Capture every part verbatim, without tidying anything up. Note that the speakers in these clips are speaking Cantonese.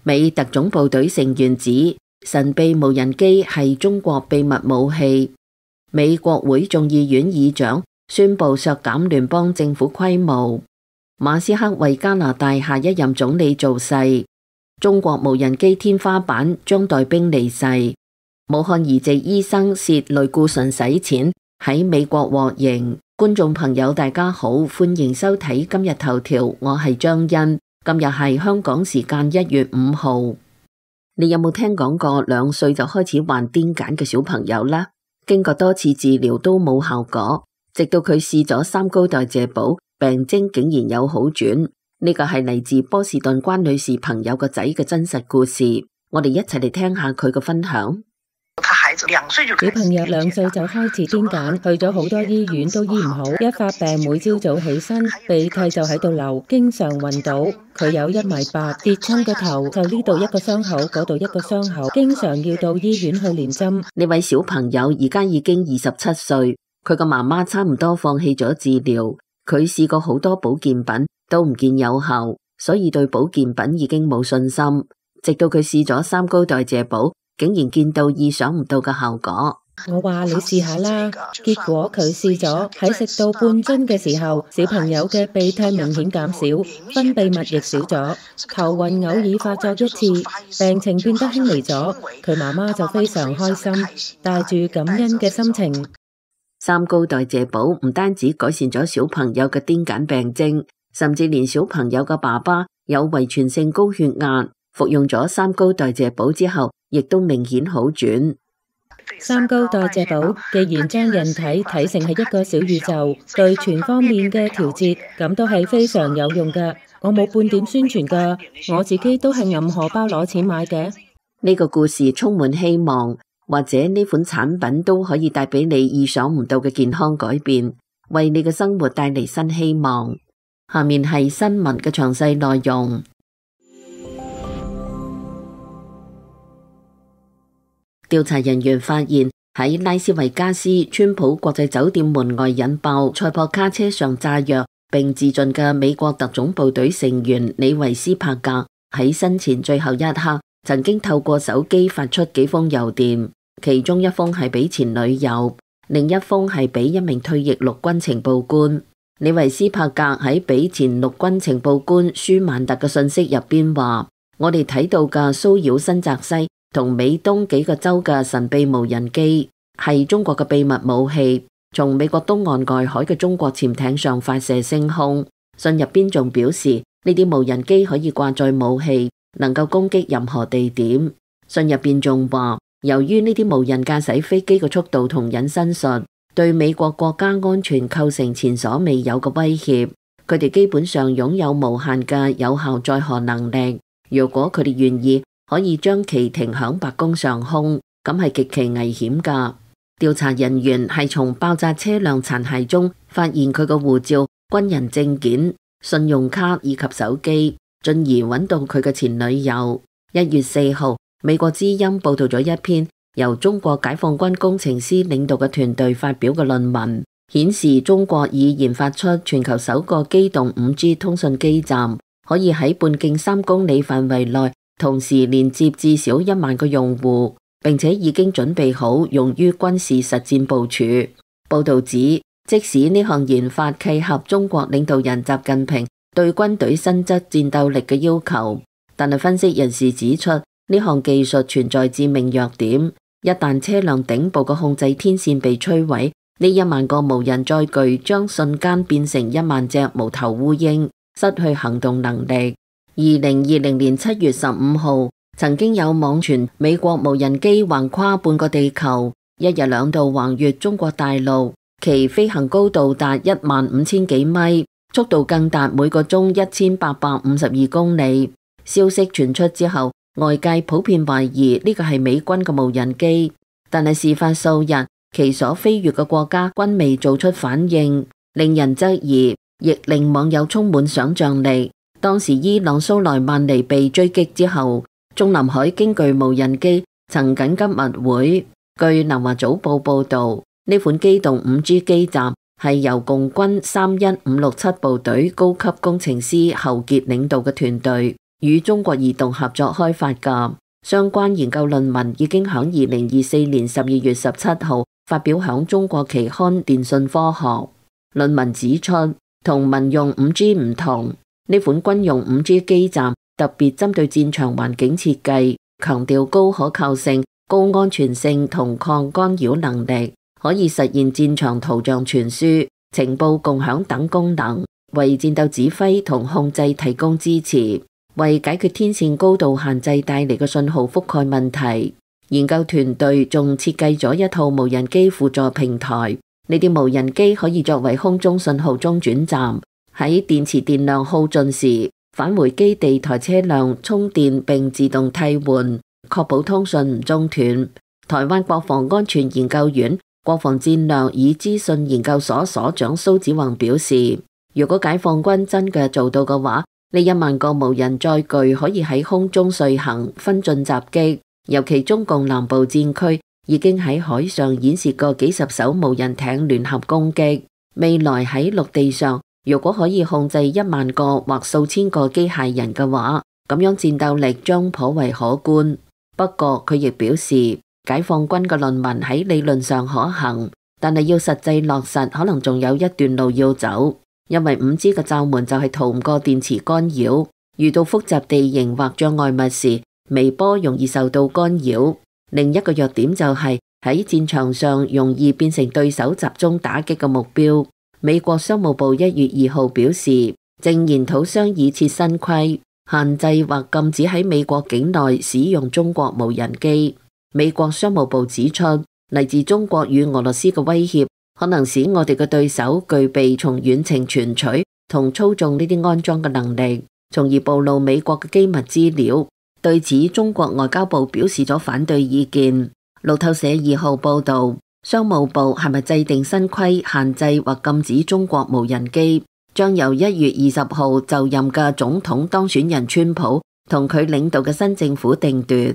美特種部隊成員指神秘無人機係中國秘密武器。美國會眾議院議長宣布削減聯邦政府規模。馬斯克為加拿大下一任總理造勢。中國無人機天花板將帶兵離世。武漢移植醫生涉類固醇洗錢喺美國獲刑。觀眾朋友大家好，歡迎收睇今日頭條，我係張欣。今日係香港時間一月五號。你有冇聽講過兩歲就開始患癲癇嘅小朋友啦？經過多次治療都冇效果，直到佢試咗三高代謝寶，病徵竟然有好轉。呢個係嚟自波士頓關女士朋友個仔嘅真實故事，我哋一齊嚟聽下佢嘅分享。小朋友兩歲就開始癲癇，去咗好多醫院都醫唔好，一發病每朝早起身鼻涕就喺度流，經常暈倒。佢有一米八，跌親個頭就呢度一個傷口，嗰度一個傷口，經常要到醫院去連針。呢位小朋友而家已經二十七歲，佢個媽媽差唔多放棄咗治療，佢試過好多保健品都唔見有效，所以對保健品已經冇信心。直到佢試咗三高代謝寶，竟然見到意想唔到嘅效果。我話你試下啦，結果佢試咗，喺食到半樽嘅時候，小朋友嘅鼻涕明顯減少，分泌物亦少咗，頭暈偶爾發作一次，病情變得輕微咗。佢媽媽就非常開心，帶住感恩嘅心情。三高代謝寶唔單止改善咗小朋友嘅癲癇病徵，甚至連小朋友嘅爸爸有遺傳性高血壓，服用咗三高代謝寶之後，亦都明顯好轉。三高代謝寶既然將人體睇成係一個小宇宙，對全方面嘅調節，咁都係非常有用㗎。我冇半點宣傳㗎，我自己都係揞荷包攞錢買嘅。呢個故事充滿希望，或者呢款產品都可以帶俾你意想唔到嘅健康改變，為你嘅生活帶嚟新希望。下面係新聞嘅詳細內容。調查人員發現喺拉斯維加斯川普國際酒店門外引爆塞博卡車上炸藥並自盡嘅美國特種部隊成員李維斯帕格，喺生前最後一刻曾經透過手機發出幾封郵電，其中一封係俾前女友，另一封係俾一名退役陸軍情報官。李維斯帕格喺俾前陸軍情報官舒曼特嘅信息入邊話：我哋睇到嘅騷擾新澤西同美東幾個州嘅神秘無人機係中國嘅秘密武器，從美國東岸外海嘅中國潛艇上發射升空。信入邊仲表示，呢啲無人機可以掛載武器，能夠攻擊任何地點。信入邊仲話，由於呢啲無人駕駛飛機嘅速度同隱身術，對美國國家安全構成前所未有嘅威脅。佢哋基本上擁有無限嘅有效載荷能力，如果佢哋願意，可以將其停響白宮上空，咁係極其危險噶。調查人員係從爆炸車輛殘骸中發現佢嘅護照、軍人證件、信用卡以及手機，進而揾到佢嘅前女友。一月四號，美國之音報道咗一篇由中國解放軍工程師領導嘅團隊發表嘅論文，顯示中國已研發出全球首個機動五 G 通訊基站，可以喺半徑三公里範圍內同時連接至少一萬個用戶，並且已經準備好用於軍事實戰部署。報道指，即使呢項研發契合中國領導人習近平對軍隊新質戰鬥力嘅要求，但係分析人士指出，呢項技術存在致命弱點。一旦車輛頂部嘅控制天線被摧毀，呢一萬個無人載具將瞬間變成一萬隻無頭烏蠅，失去行動能力。二零二零年七月十五號，曾經有網傳美國無人機橫跨半個地球，一日兩度橫越中國大陸，其飛行高度達一萬五千幾米，速度更達每個鐘一千八百五十二公里。消息傳出之後，外界普遍懷疑呢個係美軍嘅無人機，但係事發數日，其所飛越嘅國家均未做出反應，令人質疑，亦令網友充滿想象力。當時伊朗蘇萊曼尼被追擊之後，中南海經具無人機曾緊急密會。據南華早報報道，呢款機動五 G 基站係由共軍三一五六七部隊高級工程師侯傑領導嘅團隊，與中國移動合作開發㗎。相關研究論文已經響二零二四年十二月十七號發表響中國期刊《電訊科學》。論文指出，同民用五 G 唔同，呢款軍用五 G 基站特別針對戰場環境設計，強調高可靠性、高安全性同抗干擾能力，可以實現戰場圖像傳輸、情報共享等功能，為戰鬥指揮同控制提供支持。為解決天線高度限制帶嚟嘅信號覆蓋問題，研究團隊仲設計咗一套無人機輔助平台。呢啲無人機可以作為空中信號中轉站，喺電池電量耗盡時，返回基地台車輛充電並自動替換，確保通訊唔中斷。台灣國防安全研究院國防戰略與資訊研究所所長蘇子宏表示，如果解放軍真嘅做到嘅話，呢一萬個無人載具可以喺空中遂行分進襲擊，尤其中共南部戰區已經喺海上演示過幾十艘無人艇聯合攻擊。未來喺陸地上，如果可以控制一萬個或數千個機械人嘅話，咁樣戰鬥力將頗為可觀。不過佢亦表示，解放軍嘅論文喺理論上可行，但係要實際落實可能仲有一段路要走。因為五 G 嘅罩門就係逃唔過電磁干擾，遇到複雜地形或障礙物時，微波容易受到干擾。另一個弱點就係喺戰場上容易變成對手集中打擊嘅目標。美國商務部一月二號表示，正研討商議設新規，限制或禁止喺美國境內使用中國無人機。美國商務部指出，嚟自中國與俄羅斯嘅威脅可能使我哋嘅對手具備從遠程傳取同操縱呢啲安裝嘅能力，從而暴露美國嘅機密資料。對此，中國外交部表示咗反對意見。路透社二號報道，商務部係咪制定新規限制或禁止中國無人機，將由一月二十號就任嘅總統當選人川普同佢領導嘅新政府定奪。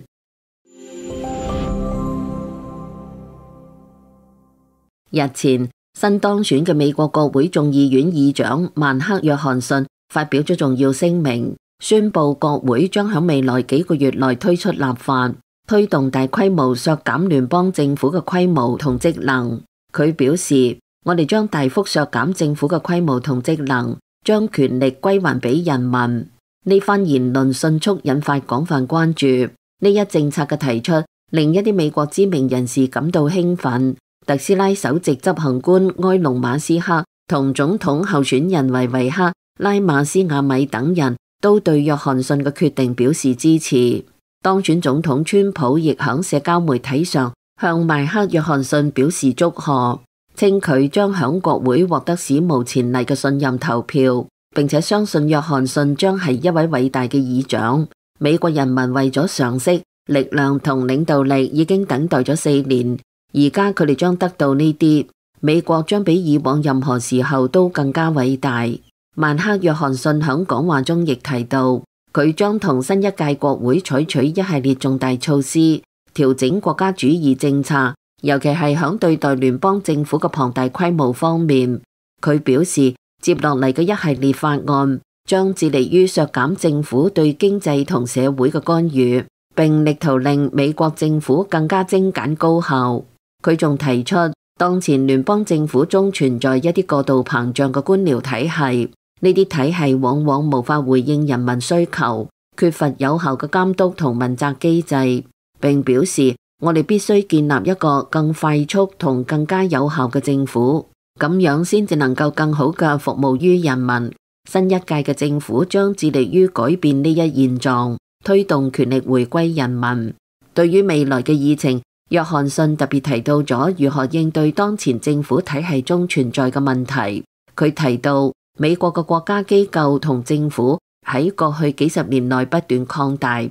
日前，新當選嘅美國國會眾議院議長曼克約翰遜發表咗重要聲明，宣布國會將喺未來幾個月內推出立法，推動大規模削減聯邦政府嘅規模同職能。佢表示，我哋將大幅削減政府嘅規模同職能，將權力歸還俾人民。呢番言論迅速引發廣泛關注。呢一政策嘅提出，令一啲美國知名人士感到興奮。特斯拉首席執行官埃隆馬斯克同總統候選人維維克拉馬斯亞米等人都對約翰遜嘅決定表示支持。當選總統川普亦響社交媒體上向邁克約翰遜表示祝賀，稱佢將響國會獲得史無前例嘅信任投票，並且相信約翰遜將係一位偉大嘅議長。美國人民為咗常識、力量同領導力已經等待咗四年。而家佢哋將得到呢啲，美國將比以往任何時候都更加偉大。曼克約翰遜響講話中亦提到，佢將同新一屆國會採取一系列重大措施，調整國家主義政策，尤其係響對待聯邦政府嘅龐大規模方面。佢表示，接落嚟嘅一系列法案將致力於削減政府對經濟同社會嘅干預，並力圖令美國政府更加精簡高效。佢仲提出，當前聯邦政府中存在一啲過度膨脹嘅官僚體系，呢啲體系往往無法回應人民需求，缺乏有效嘅監督同問責機制。並表示，我哋必須建立一個更快速同更加有效嘅政府，咁樣先至能夠更好嘅服務於人民。新一屆嘅政府將致力於改變呢一現狀，推動權力回歸人民。對於未來嘅議程，約翰遜特別提到咗如何應對當前政府體系中存在嘅問題。佢提到，美國嘅國家機構同政府喺過去幾十年內不斷擴大。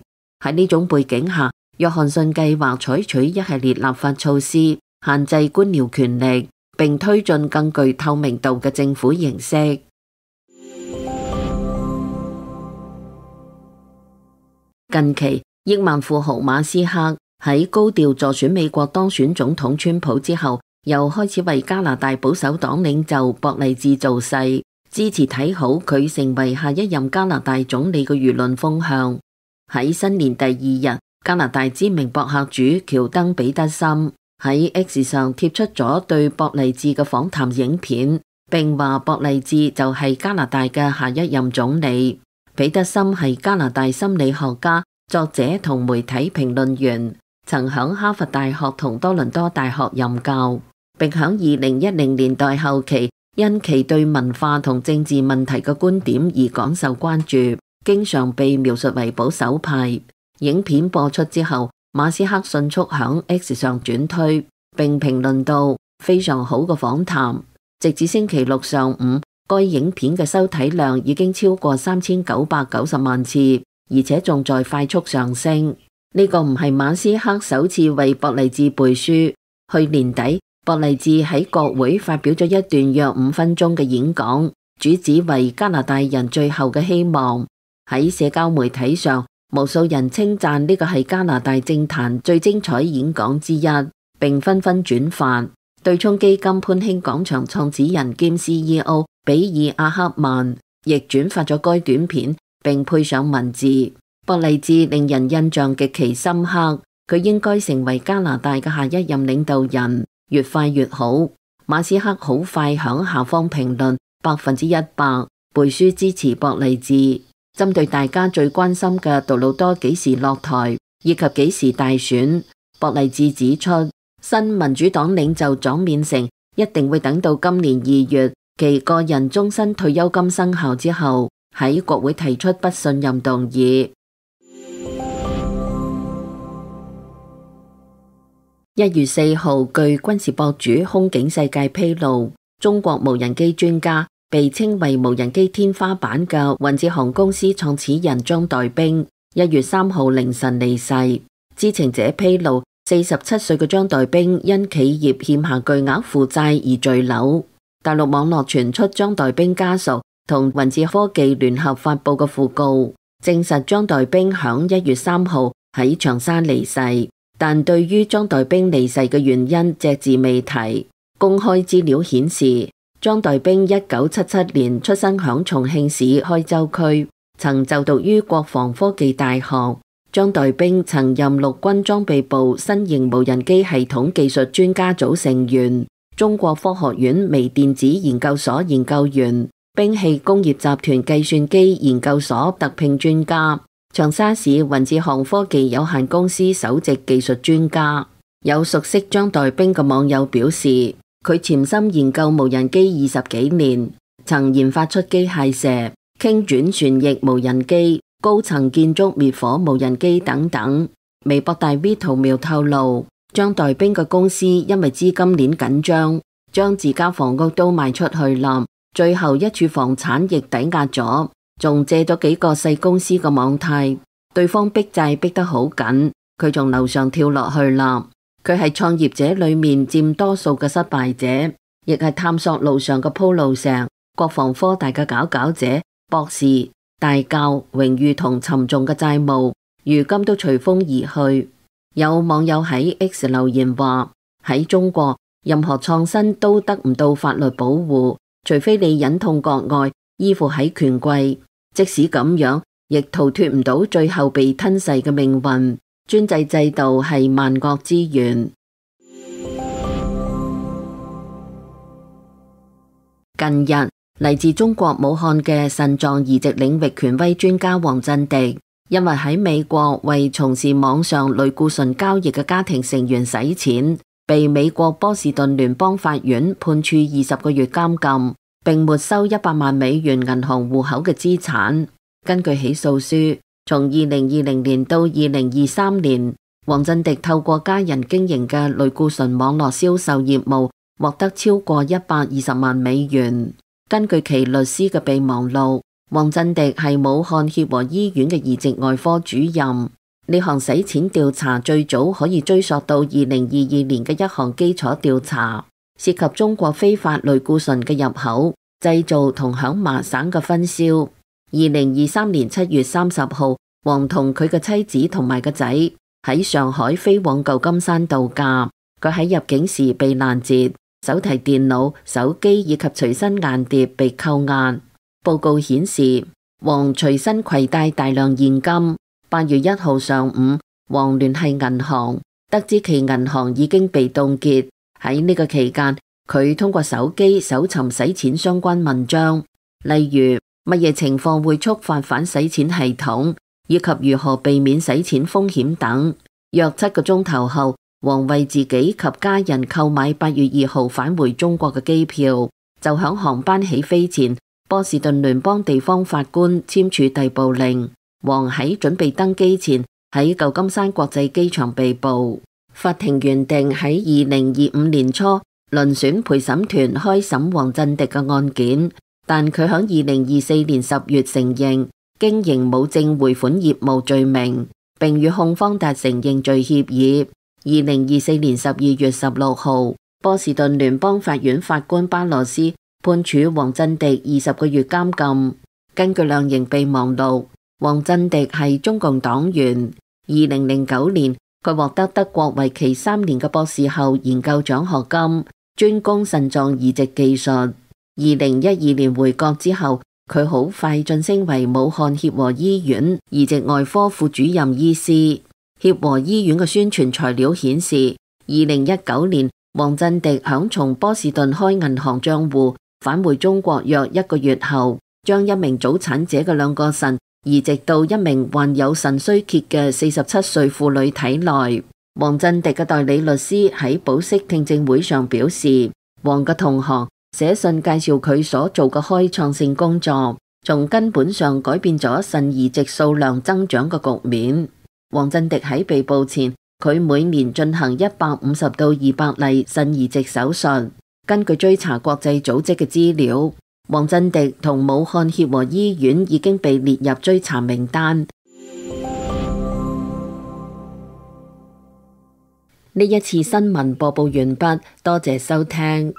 喺呢種背景下，約翰遜計劃採取一系列立法措施，限制官僚權力，並推進更具透明度嘅政府形式。近期，億萬富豪馬斯克喺高調助選美國當選總統川普之後，又開始為加拿大保守黨領袖博勵治造勢，支支持睇好佢成為下一任加拿大總理嘅輿論風向。喺新年第二日，加拿大知名博客主喬登彼得森喺 X 上貼出咗對博勵治嘅訪談影片，並話博勵治就係加拿大嘅下一任總理。彼得森係加拿大心理學家、作者同媒體評論員，曾響哈佛大學同多倫多大學任教，並響二零一零年代後期因其對文化同政治問題嘅觀點而廣受關注，經常被描述為保守派。影片播出之後，馬斯克迅速響 X 上轉推，並評論到非常好嘅訪談。直至星期六上午，該影片嘅收睇量已經超過三千九百九十萬次，而且仲在快速上升。呢個唔係馬斯克首次為博勵治背書。去年底，博勵治喺國會發表咗一段約五分鐘嘅演講，主旨為加拿大人最後嘅希望。喺社交媒體上，無數人稱讚呢個係加拿大政壇最精彩演講之一，並紛紛轉發。對沖基金潘興廣場創始人兼 C E O 比爾阿克曼亦轉發咗該短片，並配上文字。博勵治令人印象極其深刻，佢應該成為加拿大嘅下一任領導人，越快越好。馬斯克好快響下方評論百分之一百背書支持博勵治。針對大家最關心嘅杜魯多幾時落台以及幾時大選，博勵治指出，新民主黨領袖莊勉誠一定會等到今年二月其個人終身退休金生效之後，喺國會提出不信任動議。一月四號，據軍事博主空警世界披露，中國無人機專家，被稱為無人機天花板嘅雲智航公司創始人張代兵，一月三號凌晨離世。知情者披露，四十七歲嘅張代兵因企業欠下巨額負債而墜樓。大陸網絡傳出張代兵家屬同雲智科技聯合發佈嘅訃告，證實張代兵響一月三號喺長沙離世，但對於張代兵離世嘅原因隻字未提。公開資料顯示，張代兵一九七七年出生響重慶市開州區，曾就讀於國防科技大學。張代兵曾任陸軍裝備部新型無人機系統技術專家組成員、中國科學院微電子研究所研究員、兵器工業集團計算機研究所特聘專家、長沙市雲智航科技有限公司首席技術專家。有熟悉張代兵嘅網友表示，佢潛心研究無人機二十幾年，曾研發出機械蛇、傾轉旋翼無人機、高層建築滅火無人機等等。微博大 V 圖描透露，張代兵嘅公司因為資金鏈緊張，將自家房屋都賣出去啦，最後一處房產亦抵押咗，仲借咗幾個細公司嘅網貸，對方逼債逼得好緊，佢從樓上跳落去啦。佢係創業者裏面佔多數嘅失敗者，亦係探索路上嘅鋪路石。國防科大嘅佼佼者、博士、大教、榮譽同沉重嘅債務，如今都隨風而去。有網友喺 X 留言話：喺中國，任何創新都得唔到法律保護，除非你忍痛割愛，依附喺權貴，即使咁樣，亦逃脫唔到最後被吞噬嘅命運。專制制度係萬惡之源。近日，嚟自中國武漢嘅腎臟移植領域權威專家黃振迪，因為喺美國為從事網上類固醇交易嘅家庭成員洗錢，被美國波士頓聯邦法院判處二十個月監禁，並沒收一百萬美元銀行戶口嘅資產。根據起訴書，從二零二零年到二零二三年，黃振迪透過家人經營嘅類固醇網絡銷售業務，獲得超過一百二十萬美元。根據其律師嘅備忘錄，黃振迪係武漢協和醫院嘅移植外科主任。呢項洗錢調查最早可以追溯到二零二二年嘅一項基礎調查，涉及中國非法類固醇嘅入口、製造同響麻省嘅分銷。二零二三年七月三十號，黃同佢嘅妻子同埋個仔喺上海飛往舊金山度假。佢喺入境時被攔截，手提電腦、手機以及隨身硬碟被扣押。報告顯示，黃隨身攜帶大量現金。八月一號上午，黃聯繫銀行，得知其銀行已經被凍結。喺呢個期間，佢通過手機搜尋洗錢相關文章，例如乜嘢情況會觸發反洗錢系統，以及如何避免洗錢風險等。約七個鐘頭後，黃為自己及家人購買八月二號返回中國嘅機票。就響航班起飛前，波士頓聯邦地方法官簽署逮捕令。黃喺準備登機前喺舊金山國際機場被捕。法庭原定喺二零二五年初遴選陪審團開審黃鎮迪嘅案件，但佢響二零二四年十月承認經營冇證匯款業務罪名，並與控方達成認罪協議。二零二四年十二月十六號，波士頓聯邦法院法官巴羅斯判處黃鎮迪二十個月監禁。根據量刑備忘錄，黃鎮迪係中共黨員。二零零九年，佢獲得德國為期三年嘅博士後研究獎學金，專攻腎臟移植技術。二零一二年回國之後，佢好快晉升為武漢協和醫院移植外科副主任醫師。協和醫院嘅宣傳材料顯示，二零一九年黃鎮迪響從波士頓開銀行賬戶返回中國約一個月後，將一名早產者嘅兩個腎移植到一名患有腎衰竭嘅四十七歲婦女體內。黃鎮迪嘅代理律師喺保釋聽證會上表示，黃嘅同行寫信介紹佢所做嘅開創性工作，從根本上改變咗腎移植數量增長嘅局面。黃鎮迪喺被捕前，佢每年進行一百五十到二百例腎移植手術。根據追查國際組織嘅資料，黃鎮迪同武漢協和醫院已經被列入追查名單。呢一次新聞播報完畢，多謝收聽。